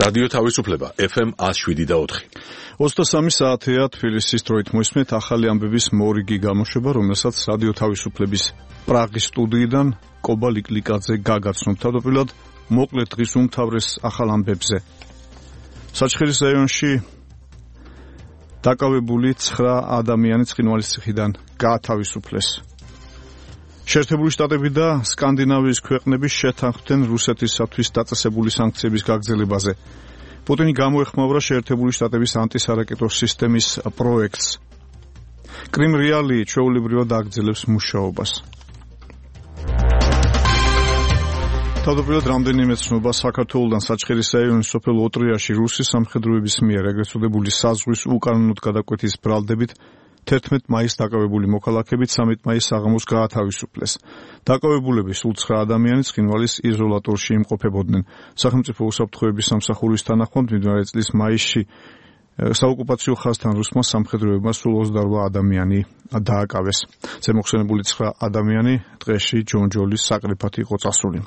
რადიო თავისუფლება FM 107.4. 23 საათია თბილისის დროით მოისმენთ ახალი ამბების მორიგი გამოშვება, რომელსაც რადიო თავისუფლების პრაღის სტუდიიდან კობა ლიკლიკაძე გაგაცნობთ. თავდაპირველად მოკლედ დღის უმთავრეს ახალ ამბებზე. საჩხერის რაიონში დაკავებული 9 ადამიანი ცხინვალის ციხიდან გაათავისუფლეს. შეერთებული შტატები და სკანდინავიის ქვეყნები შეთანხმდნენ რუსეთისათვის დაწესებული სანქციების გაგრძელებაზე. პუტინი გამოეხმაურა შეერთებული შტატების ანტისარაკეტო სისტემის პროექტს. კრიმ რეალი ჩვეულებრივად აგრძელებს მუშაობას. თავდაპირველად რამდენიმე ცნობა საქართველოდან საჩხერის რაიონის სოფელ ოტრიაში რუსი სამხედროების მიერ ეგრეთ წოდებული საზღვის უკანონოდ გადაკვეთის ბრალდებით 11 მაისს დაკავებული მოქალაქეებით 13 მაისს საღამოს გაათავისუფლეს. დაკავებულები სულ 9 ადამიანი ცხინვალის იზოლატორში იმყოფებოდნენ. სახელმწიფო უსაფრთხოების სამსახურის თანახმად მიმდინარე წლის მაისში საოკუპაციო ხაზთან რუსმა სამხედროებმა სულ 28 ადამიანი დააკავეს. ზემოხსენებული 9 ადამიანი დღეში ჯონჯოლის საკრიფად იყო წასული.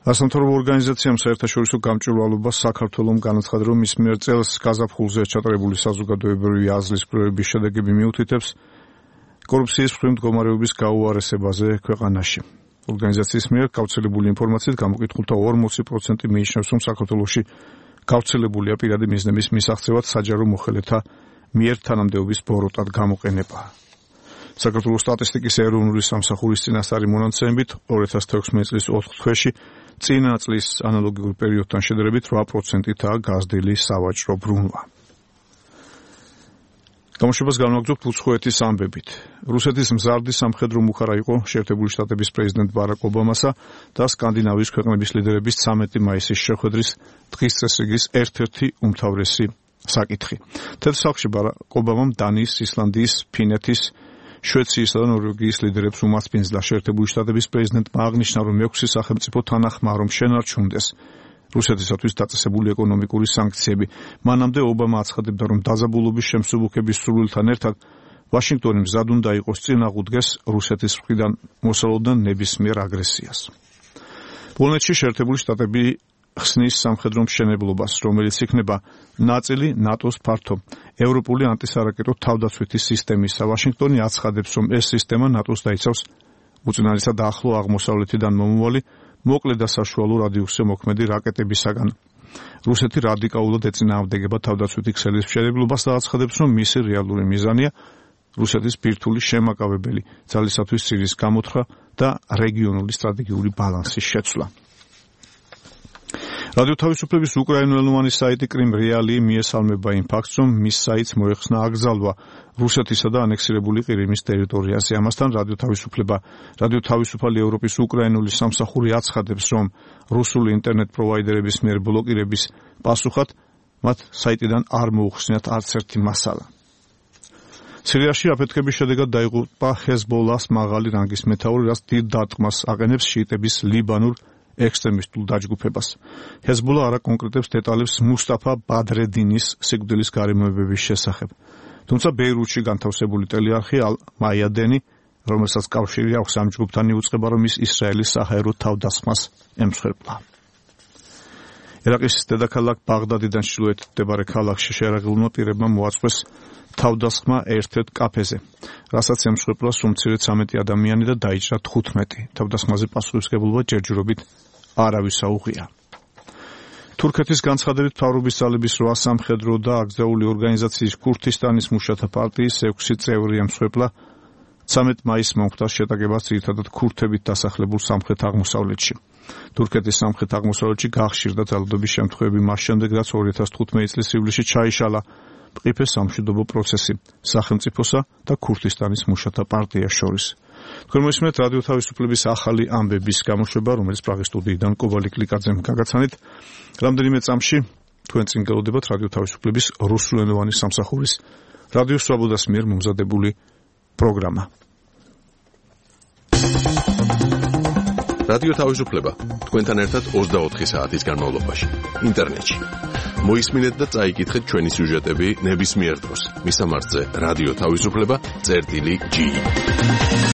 ასამთავრობო ორგანიზაციამ საერთაშორისო გამჭვირვალობას საქართველოს განაცხადა, რომ მის მიერ წელს გაზაფხულზე ჩატარებული საზოგადოებრივი აზრის კვლევების შედეგები მიუთითებს კორუფციის მსხვილი მდგომარეობის გაუარესებაზე ქვეყანაში. ორგანიზაციის მიერ გავრცელებული ინფორმაციით გამოკითხულთა 40% მიიჩნევს, რომ საქართველოში გავრცელებულია პირადი მიზნების მისაღწევად საჯარო მოხელეთა მიერ თანამდებობის ბოროტად გამოყენება. საქართველოს სტატისტიკის ეროვნული სამსახურის წინასწარი მონაცემებით 2016 წლის 4 თვეში წინა წლის ანალოგიურ პერიოდთან შედარებით 8%-აა გაზრდილი სავაჭრო ბრუნვა. გამოშვებას განვაგრძობთ უცხოეთის ამბებით. რუსეთის მზარდი სამხედრო მუხარა იყო შეერთებული შტატების პრეზიდენტ ბარაკ ობამასა და სკანდინავიის ქვეყნების ლიდერების 13 მაისის შეხვედრის დღის წესრიგის ერთ-ერთი უმთავრესი საკითხი. თეთრ სახლში ბარაკ ობამამ დანიის, ისლანდიის, ფინეთის, შვეციისა და ნორვეგიის ლიდერებს უმასპინძლა შეერთებული შტატების პრეზიდენტმა აღნიშნა, რომ 6 სახელმწიფო თანახმაა, რომ შენარჩუნდეს რუსეთისათვის დაწესებული ეკონომიკური სანქციები. მანამდე ობამა აცხადებდა, რომ დაძაბულობის შემსუბუქების სურვილთან ერთად ვაშინგტონი მზად უნდა იყოს წინააღმდეგეს რუსეთის მხრიდან მოსალოდან ნებისმიერ აგრესიას. პოლონეთში შეერთებული შტატები ხსნის სამხედრო მშენებლობას, რომელიც იქნება ნაწილი ნატოს ფართო ევროპული ანტისარაკეტო თავდაცვითი სისტემისა. ვაშინგტონი აცხადებს, რომ ეს სისტემა ნატოს დაიცავს უწინარესად ახლო აღმოსავლეთიდან მომავალი მოკლე და საშუალო რადიუსზე მოქმედი რაკეტებისაგან. რუსეთი რადიკალურად ეწინააღმდეგება თავდაცვითი ქსელის მშენებლობას და აცხადებს, რომ მისი რეალური მიზანია რუსეთის ბირთვული შემაკავებელი ძალისათვის ცირის გამოთხრა და რეგიონული სტრატეგიული ბალანსის შეცვლა. რადიო თავისუფლების უკრაინულენოვანი საიტი კრიმ რეალი მიესალმება იმ ფაქტს, რომ მის საიტს მოეხსნა აკრძალვა რუსეთისა და ანექსირებული ყირიმის ტერიტორიაზე. ამასთან რადიო თავისუფალი ევროპის უკრაინული სამსახური აცხადებს, რომ რუსული ინტერნეტ პროვაიდერების მიერ ბლოკირების პასუხად მათ საიტიდან არ მოუხსნიათ არც ერთი მასალა. სირიაში აფეთქების შედეგად დაიღუპა ჰეზბოლას მაღალი რანგის მეთაური, რაც დიდ დარტყმას აყენებს შიიტების ლიბანურ ექსტრემისტულ დაჯგუფებას. ჰეზბოლა არ აკონკრეტებს დეტალებს მუსტაფა ბადრედინის სიკვდილის გარემოებების შესახებ. თუმცა ბეირუთში განთავსებული ტელეარხი ალ-მაიადენი, რომელსაც კავშირი აქვს ამ ჯგუფთან, იუწყება, რომ ის ისრაელის საჰაერო თავდასხმას ემსხვერპლა. ერაყის დედაქალაქ ბაღდადიდან ჩრდილოეთით მდებარე ქალაქში შეერაღებულმა პირებმა მოაწყვეს თავდასხმა ერთ-ერთ კაფეზე, რასაც ემსხვერპლა სულ მცირე 13 ადამიანი და დაიჭრა 15. თავდასხმაზე პასუხისმგებლობა ჯერჯერობით არავის აუღია. თურქეთის განცხადებით მთავრობის ძალების 8 სამხედრო და აკრძალული ორგანიზაციის ქურთისტანის მუშათა პარტიის 6 წევრი ემსხვერპლა 13 მაისს მომხდარ შეტაკებას ძირითადად ქურთებით დასახლებულ სამხრეთ აღმოსავლეთში. თურქეთის სამხრეთ აღმოსავლეთში გახშირდა ძალადობის შემთხვევები მას შემდეგ, რაც 2015 წლის ივლისში ჩაიშალა მყიფე სამშვიდობო პროცესი სახელმწიფოსა და ქურთისტანის მუშათა პარტიას შორის. თქვენ მოისმენთ რადიო თავისუფლების ახალი ამბების გამოშვება, რომელიც პრაღის სტუდიიდან კობა ლიკლიკაძემ გაგაცანით. რამდენიმე წამში თქვენ წინ გელოდებათ რადიო თავისუფლების რუსულენოვანი სამსახურის რადიო სვაბოდას მიერ მომზადებული პროგრამა. რადიო თავისუფლება თქვენთან ერთად 24 საათის განმავლობაში ინტერნეტში. მოისმინეთ და წაიკითხეთ ჩვენი სიუჟეტები ნებისმიერ დროს. მისამართზე რადიო თავისუფლება წერტილი G.